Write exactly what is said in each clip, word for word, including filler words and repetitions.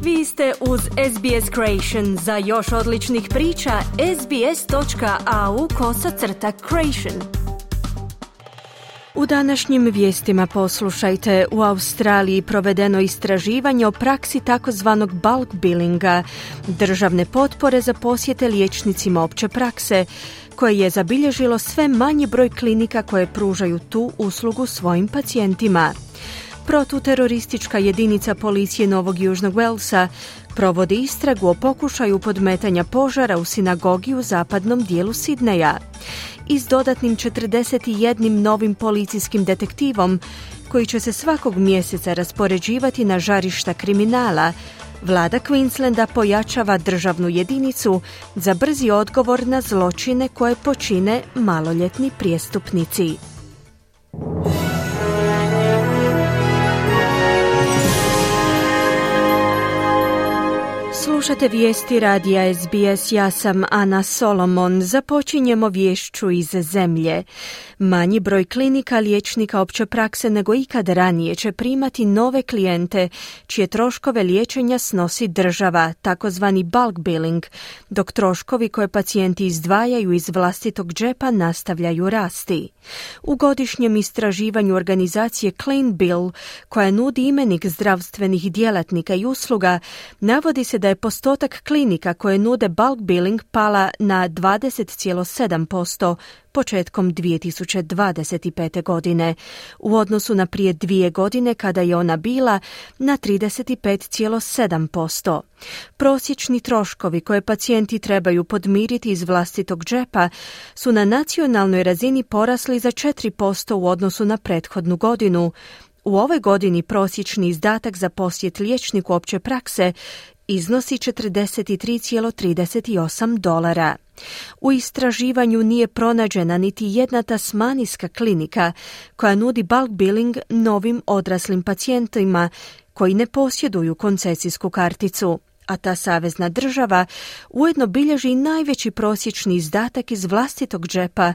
Vi ste uz S B S Creation. Za još odličnih priča, sbs.au kosacrta creation. U današnjim vijestima poslušajte, u Australiji provedeno istraživanje o praksi takozvanog bulk billinga, državne potpore za posjete liječnicima opće prakse, koje je zabilježilo sve manji broj klinika koje pružaju tu uslugu svojim pacijentima. Protuteroristička jedinica policije Novog Južnog Walesa provodi istragu o pokušaju podmetanja požara u sinagogi u zapadnom dijelu Sidneja. I s dodatnim četrdeset jednim novim policijskim detektivom, koji će se svakog mjeseca raspoređivati na žarišta kriminala, vlada Queenslanda pojačava državnu jedinicu za brzi odgovor na zločine koje počine maloljetni prijestupnici. Slušate vijesti radija S B S, ja sam Ana Solomon. Započinjemo vješću iz zemlje. Manji broj klinika liječnika opće prakse nego ikad ranije će primati nove klijente čije troškove liječenja snosi država, takozvani bulk billing, dok troškovi koje pacijenti izdvajaju iz vlastitog džepa nastavljaju rasti. U godišnjem istraživanju organizacije Clean Bill, koja nudi imenik zdravstvenih djelatnika i usluga, navodi se da je postotak klinika koje nude bulk billing pala na dvadeset zarez sedam posto početkom dvije tisuće dvadeset pete. godine, u odnosu na prije dvije godine kada je ona bila na trideset pet zarez sedam posto. Prosječni troškovi koje pacijenti trebaju podmiriti iz vlastitog džepa su na nacionalnoj razini porasli za četiri posto u odnosu na prethodnu godinu. U ovoj godini prosječni izdatak za posjet liječniku opće prakse iznosi četrdeset tri zarez trideset osam dolara. U istraživanju nije pronađena niti jedna tasmanijska klinika koja nudi bulk billing novim odraslim pacijentima koji ne posjeduju koncesijsku karticu, a ta savezna država ujedno bilježi najveći prosječni izdatak iz vlastitog džepa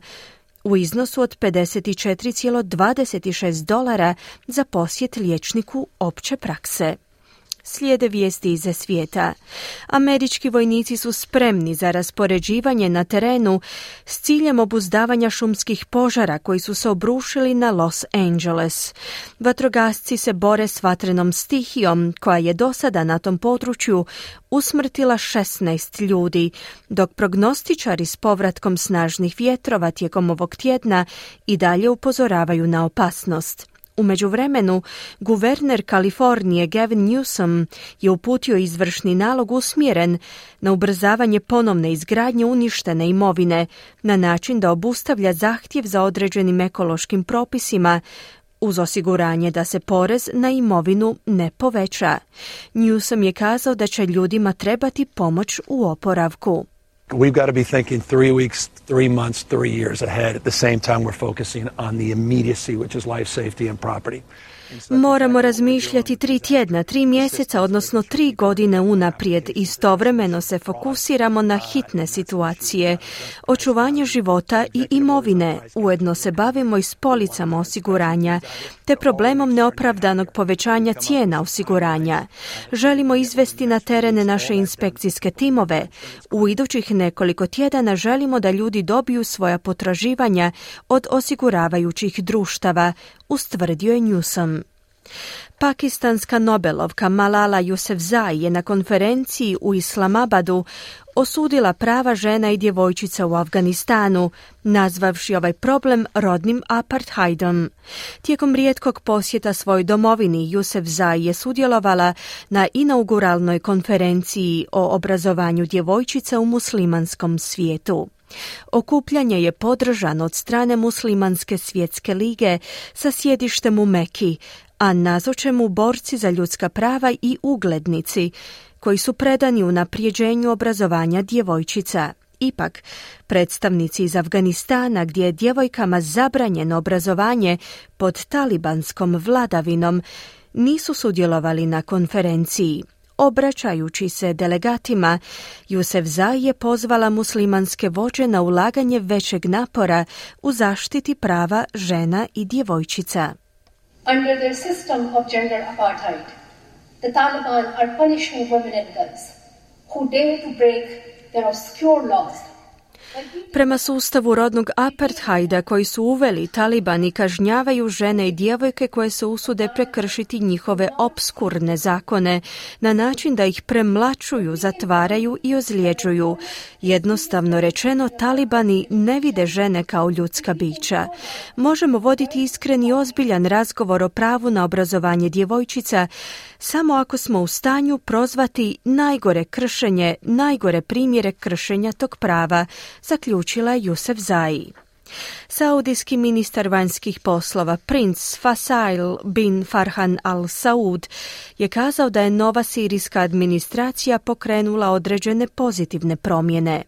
u iznosu od pedeset četiri zarez dvadeset šest dolara za posjet liječniku opće prakse. Slijede vijesti iz svijeta. Američki vojnici su spremni za raspoređivanje na terenu s ciljem obuzdavanja šumskih požara koji su se obrušili na Los Angeles. Vatrogasci se bore s vatrenom stihijom koja je do sada na tom području usmrtila šesnaest ljudi, dok prognostičari s povratkom snažnih vjetrova tijekom ovog tjedna i dalje upozoravaju na opasnost. U međuvremenu, guverner Kalifornije Gavin Newsom je uputio izvršni nalog usmjeren na ubrzavanje ponovne izgradnje uništene imovine na način da obustavlja zahtjev za određenim ekološkim propisima uz osiguranje da se porez na imovinu ne poveća. Newsom je kazao da će ljudima trebati pomoć u oporavku. We've got to be thinking three weeks, three months, three years ahead. At the same time, we're focusing on the immediacy, which is life, safety and property. Moramo razmišljati tri tjedna, tri mjeseca, odnosno tri godine unaprijed. Istovremeno se fokusiramo na hitne situacije, očuvanje života i imovine. Ujedno se bavimo i s policama osiguranja, te problemom neopravdanog povećanja cijena osiguranja. Želimo izvesti na terene naše inspekcijske timove. U idućih nekoliko tjedana želimo da ljudi dobiju svoja potraživanja od osiguravajućih društava, ustvrdio je Newsom. Pakistanska Nobelovka Malala Yousafzai je na konferenciji u Islamabadu osudila prava žena i djevojčica u Afganistanu, nazvavši ovaj problem rodnim apartheidom. Tijekom rijetkog posjeta svojoj domovini, Yousafzai je sudjelovala na inauguralnoj konferenciji o obrazovanju djevojčica u muslimanskom svijetu. Okupljanje je podržano od strane Muslimanske svjetske lige sa sjedištem u Meki, a nazoče mu borci za ljudska prava i uglednici koji su predani unaprijeđenju obrazovanja djevojčica. Ipak, predstavnici iz Afganistana, gdje je djevojkama zabranjeno obrazovanje pod talibanskom vladavinom, nisu sudjelovali na konferenciji. Obraćajući se delegatima, Yousafzai je pozvala muslimanske vođe na ulaganje većeg napora u zaštiti prava žena i djevojčica. Under the system of gender apartheid, the Taliban are punishing women and girls who dare to break their obscure laws. Prema sustavu rodnog apartheida koji su uveli, talibani kažnjavaju žene i djevojke koje se usude prekršiti njihove opskurne zakone na način da ih premlačuju, zatvaraju i ozljeđuju. Jednostavno rečeno, talibani ne vide žene kao ljudska bića. Možemo voditi iskren i ozbiljan razgovor o pravu na obrazovanje djevojčica samo ako smo u stanju prozvati najgore kršenje, najgore primjere kršenja tog prava, zaključila je Yousafzai. Saudijski ministar vanjskih poslova princ Faisal bin Farhan Al Saud je kazao da je nova sirijska administracija pokrenula određene pozitivne promjene.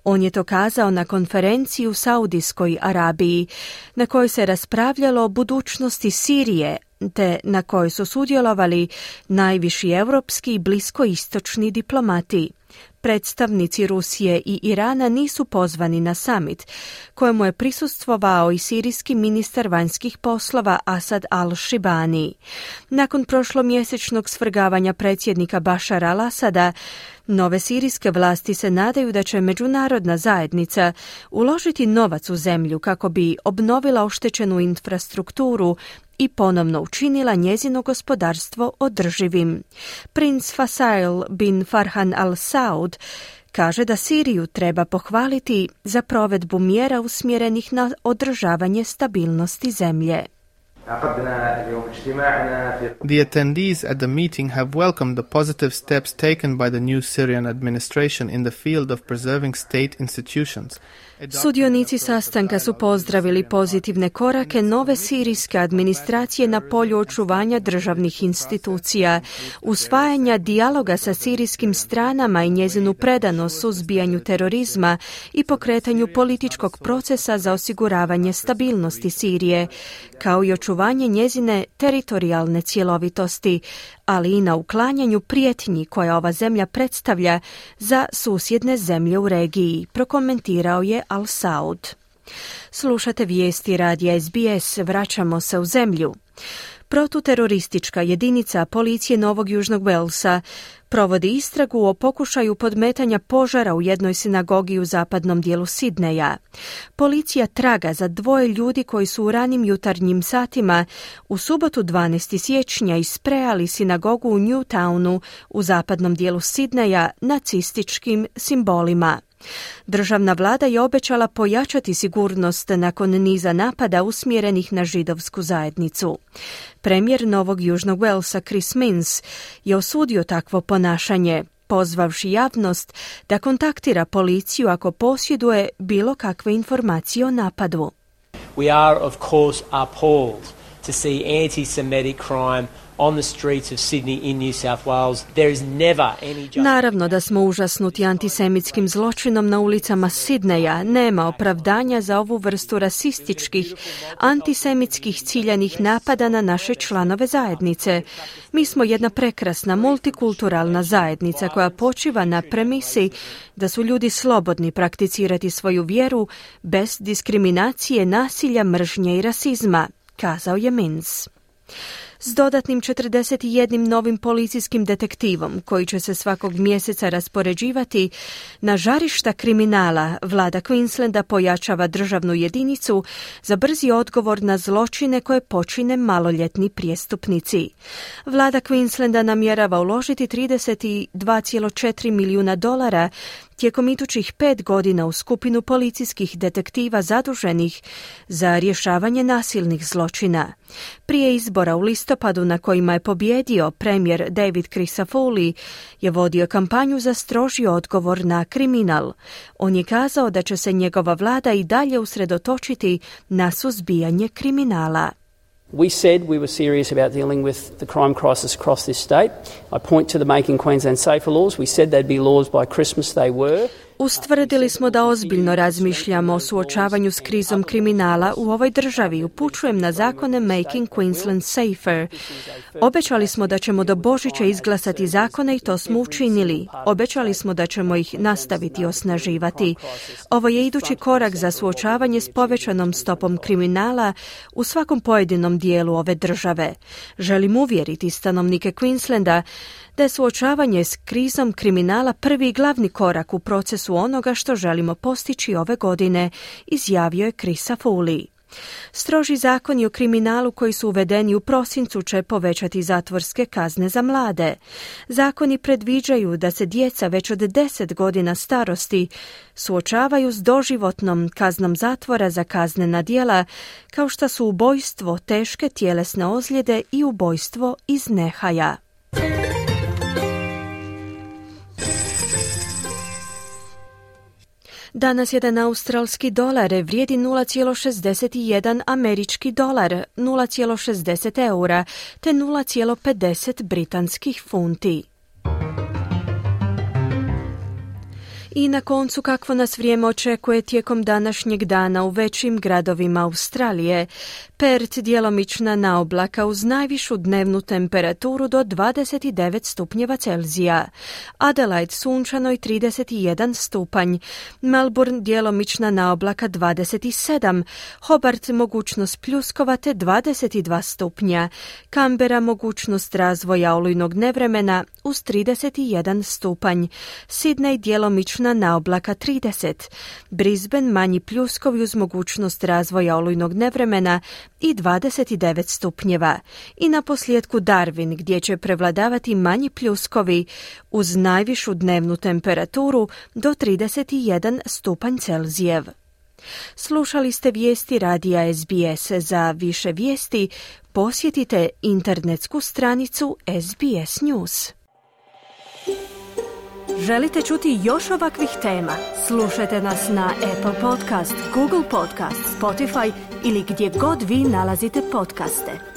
On je to kazao na konferenciji u Saudijskoj Arabiji, na kojoj se raspravljalo o budućnosti Sirije, te na kojoj su sudjelovali najviši europski i bliskoistočni diplomati. Predstavnici Rusije i Irana nisu pozvani na summit, kojemu je prisustvovao i sirijski ministar vanjskih poslova Asad al-Shibani. Nakon prošlomjesečnog svrgavanja predsjednika Bašara al-Asada, nove sirijske vlasti se nadaju da će međunarodna zajednica uložiti novac u zemlju kako bi obnovila oštećenu infrastrukturu i ponovno učinila njezino gospodarstvo održivim. Princ Faisal bin Farhan Al Saud kaže da Siriju treba pohvaliti za provedbu mjera usmjerenih na održavanje stabilnosti zemlje. The attendees at the meeting have welcomed the positive steps taken by the new Syrian administration in the field of preserving state institutions. Sudionici sastanka su pozdravili pozitivne korake nove sirijske administracije na polju očuvanja državnih institucija, usvajanja dijaloga sa sirijskim stranama i njezinu predanost suzbijanju terorizma i pokretanju političkog procesa za osiguravanje stabilnosti Sirije, kao i očuvanje njezine teritorijalne cjelovitosti, ali i na uklanjanju prijetnji koja ova zemlja predstavlja za susjedne zemlje u regiji, prokomentirao je Al Saud. Slušate vijesti radija S B S, vraćamo se u zemlju. Protuteroristička jedinica policije Novog Južnog Walesa provodi istragu o pokušaju podmetanja požara u jednoj sinagogi u zapadnom dijelu Sidneja. Policija traga za dvoje ljudi koji su u ranim jutarnjim satima u subotu dvanaestog siječnja isprejali sinagogu u Newtownu u zapadnom dijelu Sidneja nacističkim simbolima. Državna vlada je obećala pojačati sigurnost nakon niza napada usmjerenih na židovsku zajednicu. Premijer Novog Južnog Walesa Chris Minns je osudio takvo ponašanje, pozvavši javnost da kontaktira policiju ako posjeduje bilo kakve informacije o napadu. We are of course appalled to see anti-Semitic crime on the streets of Sydney in New South Wales. There is never any... Naravno da smo užasnuti antisemitskim zločinom na ulicama Sidneja. Nema opravdanja za ovu vrstu rasističkih, antisemitskih ciljanih napada na naše članove zajednice. Mi smo jedna prekrasna multikulturalna zajednica koja počiva na premisi da su ljudi slobodni prakticirati svoju vjeru bez diskriminacije, nasilja, mržnje i rasizma, kazao je Minns. S dodatnim četrdeset jednim novim policijskim detektivom, koji će se svakog mjeseca raspoređivati na žarišta kriminala, vlada Queenslanda pojačava državnu jedinicu za brzi odgovor na zločine koje počine maloljetni prijestupnici. Vlada Queenslanda namjerava uložiti trideset dva zarez četiri milijuna dolara tijekom idućih pet godina u skupinu policijskih detektiva zaduženih za rješavanje nasilnih zločina. Prije izbora u listopadu na kojima je pobjedio premijer David Crisafulli je vodio kampanju za stroži odgovor na kriminal. On je kazao da će se njegova vlada i dalje usredotočiti na suzbijanje kriminala. We said we were serious about dealing with the crime crisis across this state. I point to the Making Queensland Safer laws. We said they'd be laws by Christmas. They were. Ustvrdili smo da ozbiljno razmišljamo o suočavanju s krizom kriminala u ovoj državi. Upućujem na zakone Making Queensland Safer. Obećali smo da ćemo do Božića izglasati zakone i to smo učinili. Obećali smo da ćemo ih nastaviti osnaživati. Ovo je idući korak za suočavanje s povećanom stopom kriminala u svakom pojedinom dijelu ove države. Želim uvjeriti stanovnike Queenslanda da je suočavanje s krizom kriminala prvi i glavni korak u procesu onoga što želimo postići ove godine, izjavio je Chrisa Foley. Stroži zakoni o kriminalu koji su uvedeni u prosincu će povećati zatvorske kazne za mlade. Zakoni predviđaju da se djeca već od deset godina starosti suočavaju s doživotnom kaznom zatvora za kaznena djela kao što su ubojstvo, teške tjelesne ozljede i ubojstvo iz nehaja. Danas jedan australski dolar vrijedi nula zarez šezdeset jedan američki dolar, nula zarez šezdeset eura te nula zarez pedeset britanskih funti. I na koncu kakvo nas vrijeme očekuje tijekom današnjeg dana u većim gradovima Australije. Perth djelomična naoblaka uz najvišu dnevnu temperaturu do dvadeset devet stupnjeva Celzija. Adelaide sunčano i trideset jedan stupanj. Melbourne djelomična naoblaka dvadeset sedam. Hobart mogućnost pljuskova te dvadeset dva stupnja. Canberra mogućnost razvoja olujnog nevremena uz trideset jedan stupanj. Sydney djelomična naoblaka trideset. Brisbane manji pljuskovi uz mogućnost razvoja olujnog nevremena i dvadeset devet stupnjeva. I na posljedku Darwin gdje će prevladavati manji pljuskovi uz najvišu dnevnu temperaturu do trideset jedan stupanj Celzijev. Slušali ste vijesti radija S B S. Za više vijesti posjetite internetsku stranicu S B S News. Želite čuti još ovakvih tema? Slušajte nas na Apple Podcast, Google Podcast, Spotify ili gdje god vi nalazite podcaste.